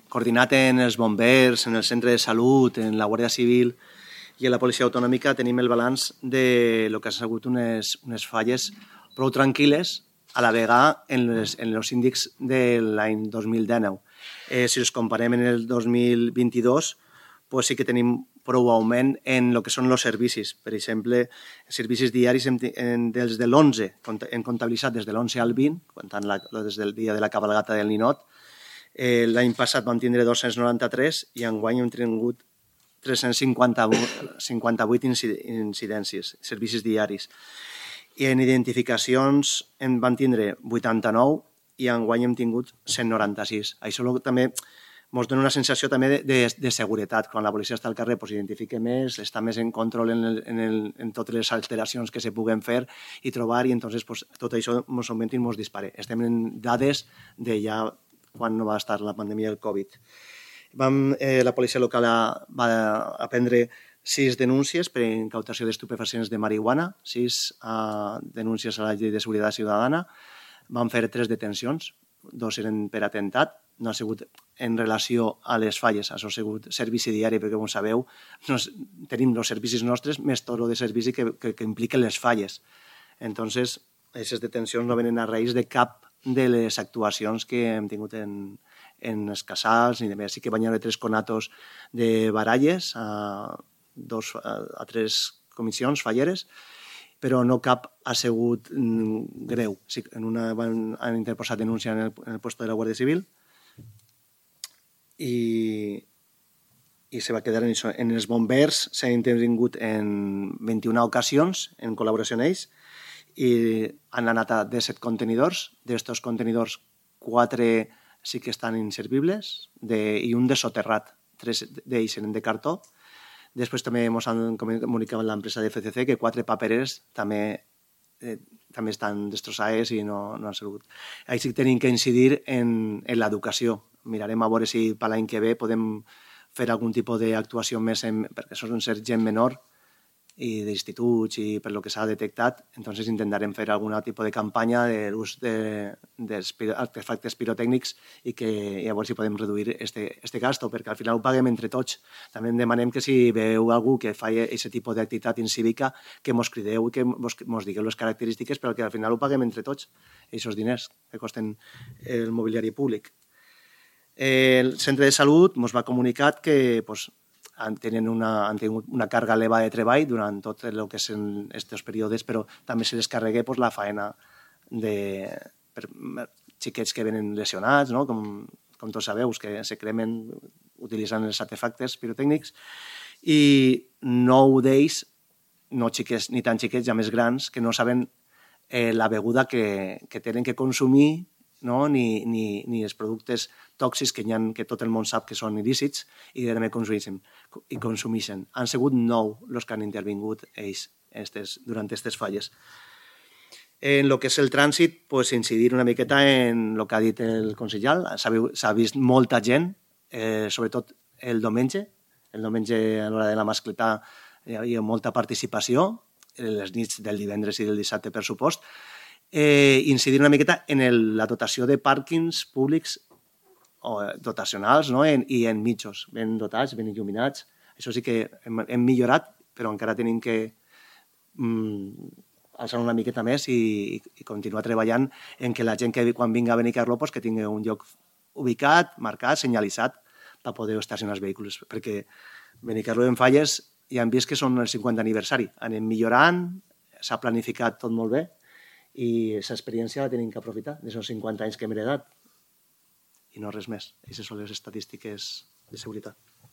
coordinat en els bombers, en el centre de salut, en la Guàrdia Civil i en la policia autonòmica, tenim el balanç de lo que ha sigut unes falles prou tranquil·les a la vegada en els índexs de l'any 2019. Si els comparem en el 2022, pues sí que tenim prou augment en el que són els servicis. Per exemple, servicis diaris des de l'11, hem comptabilitzat des de l'11 al 20, comptant des del dia de la cabalgata del Ninot. L'any passat vam tindre 293 i enguany hem tingut 358 incidències, servicis diaris. I en identificacions en van tindre 89 i enguany hem tingut 196. Això també ens dona una sensació també de seguretat. Quan la policia està al carrer identifica més, està més en control en totes les alteracions que se puguen fer i trobar, i entonces tot això ens augmenta i ens dispara. Estem en dades de ja quan no va estar la pandèmia del Covid. La policia local va prendre 6 denúncies per incautació d'estupefacients de marihuana, 6 denúncies a la llei de seguretat ciutadana. Vam fer 3 detencions, 2 eren per atemptat, no ha sigut en relació a les falles, això ha sigut servici diari, perquè com sabeu tenim els servicis nostres més tot el de servici que impliquen les falles. Entonces, aquestes detencions no venen a raïs de cap de les actuacions que hem tingut en els casals ni de més. Sí que van haver 3 conatos de baralles a 3 comissions falleres, però no cap ha sigut greu. En una han interposat denúncia en el puesto de la Guàrdia Civil i se va quedar en això. En els bombers s'han intervingut en 21 ocasions en col·laboració amb ells i han anat a 17 contenidors. D'estos contenidors, 4 sí que estan inservibles i un de soterrat. 3 d'ells eren de cartó. Després també ens han comunicat l'empresa de FCC que 4 papereres també estan destrossades i no han sigut. Ahí sí que tenim que incidir en l'educació. Mirarem a veure si per l'any que ve podem fer algun tipus d'actuació més, perquè són gent menor i d'instituts i per lo que s'ha detectat. Entonces intentarem fer algun tipus de campanya de l'ús d'artefactes pirotècnics i a veure si podem reduir este gasto, perquè al final ho paguem entre tots. També demanem que si veieu algú que fa aquest tipus d'activitat incívica, que mos crideu i que mos digueu les característiques, però que al final ho paguem entre tots, aquests diners que costen el mobiliari públic. El centre de salut ens va comunicar que han tingut una càrrega elevada de treball durant tot el que són aquests períodes, però també se les carrega la faena per xiquets que venen lesionats, com tots sabeu, que se cremen utilitzant els artefactes pirotècnics, i 9 d'ells, no xiquets ni tan xiquets, ja més grans, que no saben la beguda que tenen que consumir, ni els productes tòxics que tot el món sap que són il·lícits i també consumeixen. Han sigut 9 els que han intervingut ells durant aquestes falles. En el que és el trànsit, incidir una miqueta en el que ha dit el consellal. S'ha vist molta gent, sobretot el diumenge. El diumenge a l'hora de la mascletà hi ha molta participació, les nits del divendres i del dissabte, per supost. Incidir una miqueta en la dotació de pàrquings públics dotacionals i en mitjos ben dotats, ben il·luminats. Això sí que hem millorat, però encara tenim que alçar una miqueta més i continuar treballant en que la gent que quan vingui a Benicarló que tingui un lloc ubicat, marcat, senyalitzat per poder estacionar els vehicles, perquè Benicarló en falles ja hem vist que són el 50 aniversari. Anem millorant, s'ha planificat tot molt bé i aquesta experiència la tenim que aprofitar d'aquests 50 anys que hem heredat i no res més. Aquestes són les estadístiques de seguretat.